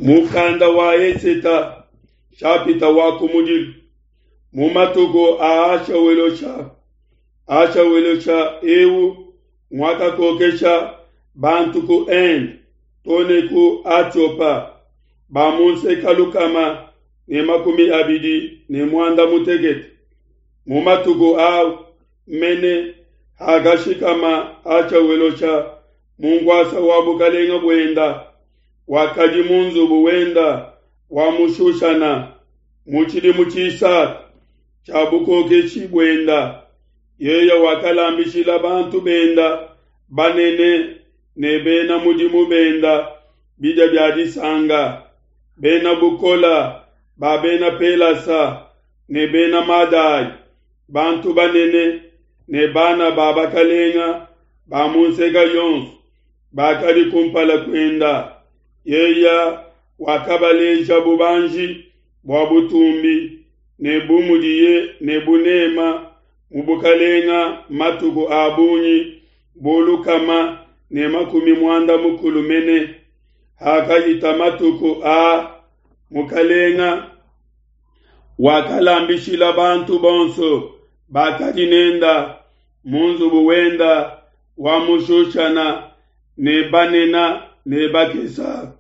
Mukanda wa Eseta, nshapita wa kumudilu. Mu matuku a Ahashawelosha, Ahashawelosha eu nguakakokesha bantu ku Inde to ne ku Atiopa, ba mu nseka 236. Mu matuku au mene hakashikama Ahashawelosha mu nkuasa wa bukalenge buenda, wakadi mu nzubu wenda wa mu Shushana mu tshidimu tshisatu tshia bukokeshi buenda. Yeye wakalambishila bantu benda banene ne bena mudimu benda bidia bia disanga, bena bukola ba bena Pelasa ne bena Madai, bantu banene ne bana ba bakalenga ba mu nseka yonso bakadi kumpala kuenda. Yeye wakabaleja bubanji bua butumbi ne bu mudiye ne bunema mu bukalenga matuku a bungi bu 160 mene. Hakahita matuku a mukalenga wakalambishila bantu bonso bakadi nenda mu nzubu wenda wa mu Shushana ne banena ne bakesa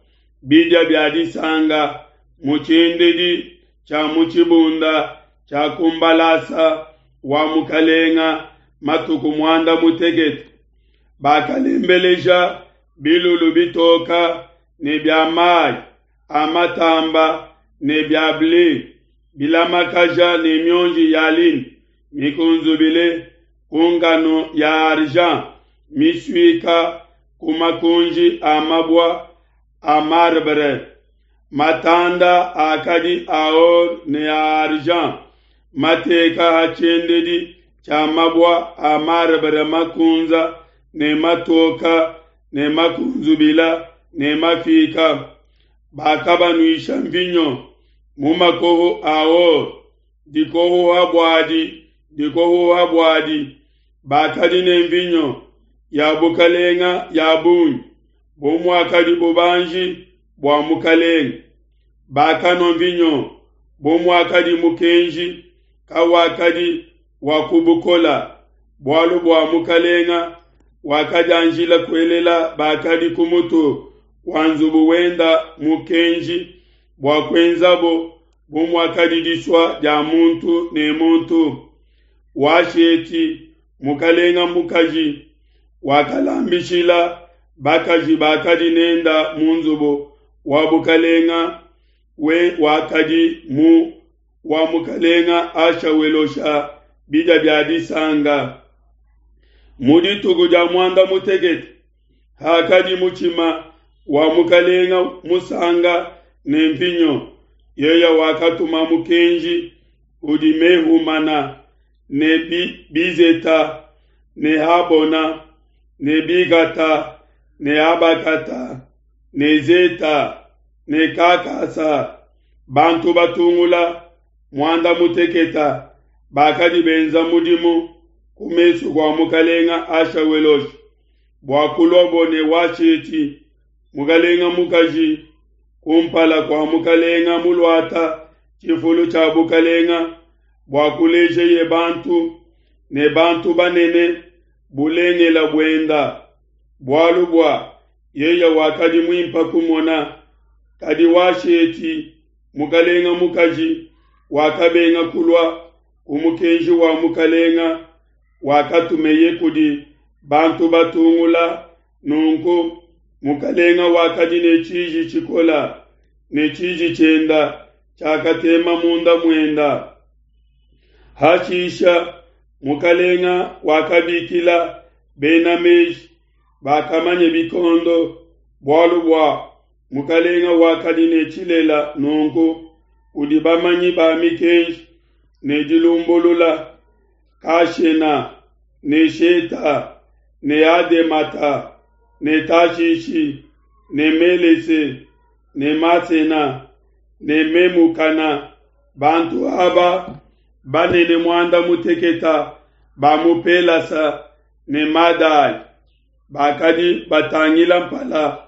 bidia bia disanga mu tshiendedi tshia mu tshibunda tshia ku mbalasa wa mukalenga matuku 18. Bakalembeleja bilulu bitoka ne bia mayi a matamba ne bia ble bilamakaja ne mionji ya lin mikunzubile ku ngano ya argent misuika ku makunji a mabua a marbre. Matanda akadi a or ne a argent mateka ha tshiendedi tshia mabua a marbre makunza ne matoka ne makunzubila ne mafika. Bakabanuisha mvinyo mu makoho a or, dikohoha buadi dikohoha buadi. Bakadi ne mvinyo ya bukalenga ya bungi bu muakadi bubanji bua mukalenga. Bakanua mvinyo bu muakadi mukenji kawakadi wa kubukola, bualu bua mukalenga wakadianjila kuelela bakadi ku mutu wa nzubu wenda mukenji bua kuenzabo bu muakadi disua dia muntu ne muntu. Washeti mukalenga mukaji wakalambishila bakaji bakadi nenda mu nzubu wa bukalenga we wakadi mu wa mukalenga Ahashawelosha bidia bia disanga. Mu dituku dia 18 hakadi mutshima wa mukalenga musanga ne mvinyo, yeye wakatuma mukenji kudi Mehumana ne Bizeta ne Habona ne Bigata ne Abakata ne Zeta ne Kakasa, bantu batungula 18 bakadi benza mudimu ku mesu kua mukalenga Ahashawelosha bua kuluabo ne Washeti mukalenga mukaji kumpala kua mukalenga muluata tshifulu tshia bukalenga bua kulejeye bantu ne bantu banene bulengela buenda, bualu bua yeye wakadi muimpa kumona. Kadi Washeti mukalenga mukaji wakabenga kulua ku mukenji wa mukalenga wakatumeye kudi bantu batungula. Nunku mukalenga wakadi ne tshiji tshikola, ne tshiji tshienda tshiakatema munda muenda. Hashisha mukalenga wakabikila bena meji bakamanye bikondo, bualu bua mukalenga wakadi ne tshilela nunku kudi bamanyi ba mikenji ne dilumbulula, Kashena ne Sheta ne Ademata ne Tashishi ne Melese ne Masena ne Memukana, bantu aba banene 18 ba mu Pelasa ne Madai bakadi batangila mpala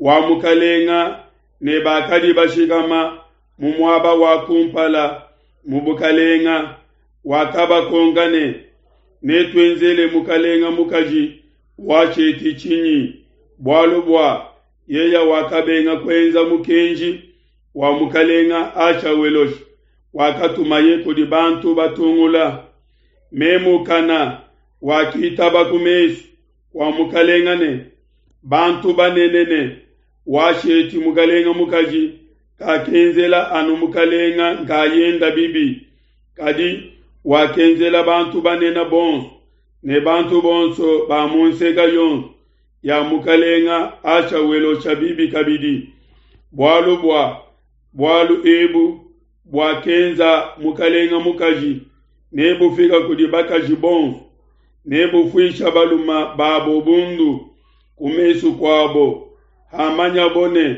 wa mukalenga. ne bakadi bashikama mu muaba wa kumpala mu bukalenga. Wakabakonka ne, Netuenzele mukalenga mukaji Washeti tshinyi? Bualu bua yeya wakabenga kuenza mukenji wa mukalenga Ashawelosha wakatumaye kudi bantu batungula. Memukana wakitaba ku mesu kua mukalenga ne bantu banene ne Washeti mukalenga mukaji kakenzela anu mukalenga nkayenda bibi, kadi wakenzela bantu banene bonso ne bantu bonso ba mu nseka yonso ya mukalenga Ashawelosha bibi kabidi. Bualu bua bualu ebu buakenza mukalenga mukaji nebufika kudi bakaji bonso, nebufuisha baluma babo bundu ku mesu kuabo, hamanyabo ne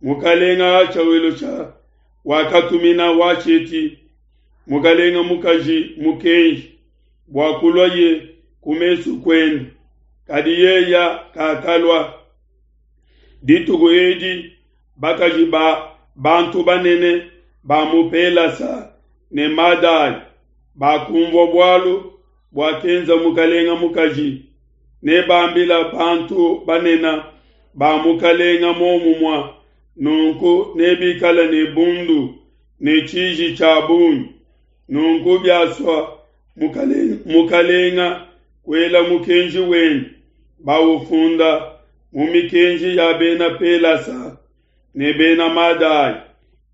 mukalenga Ashawelosha wakatumina Washeti mukalenga mukaji mukenji bua kuluaye ku mesu kuende, kadi yeya kakalua. Dituku edi bakaji ba bantu banene ba mu Pelasa ne Madai bakumvua bualu buakenza mukalenga mukaji, ne bambila bantu banene ba mukalenga momumua, nunku nebikale ne bundu ne tshiji tshia bungi. Nunku biasua mukalenga kuela mukenji wende, baufunda mu mikenji ya bena Pelasa ne bena Madai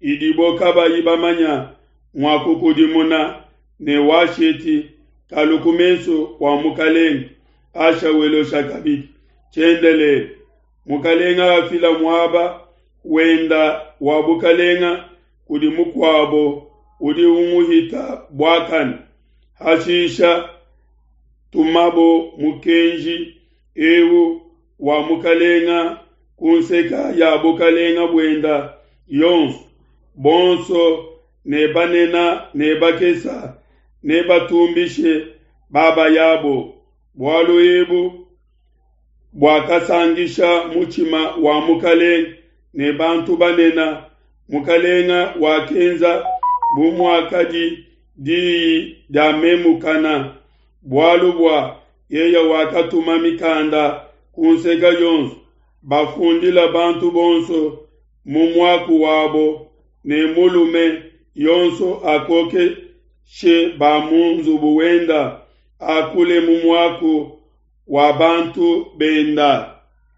idibo kabayi bamanya mua kukudimuna ne Washeti kalu ku mesu kua mukalenga Ashawelosha kabidi tshiendelele. Mukalenga afila muaba wenda wa bukalenga kudi mukuabo udi umuhita buakane. Hashisha tumabo mukenji eu wa mukalenga ku nseka ya bukalenga buenda yonso, bonso ne banena ne bakesa ne batumbishe baba yabo. Bualu ebu buakasangisha mutshima wa mukalenga ne bantu banena. Mukalenga wakenza bu muakadi diyi dia Memukana, bualu bua yeya wakatuma mikanda ku nseka yonso, bafundila bantu bonso mu muaku wabo, ne mulume yonso akokeshe ba mu nzubu wenda, akule mu muaku wa bantu benda.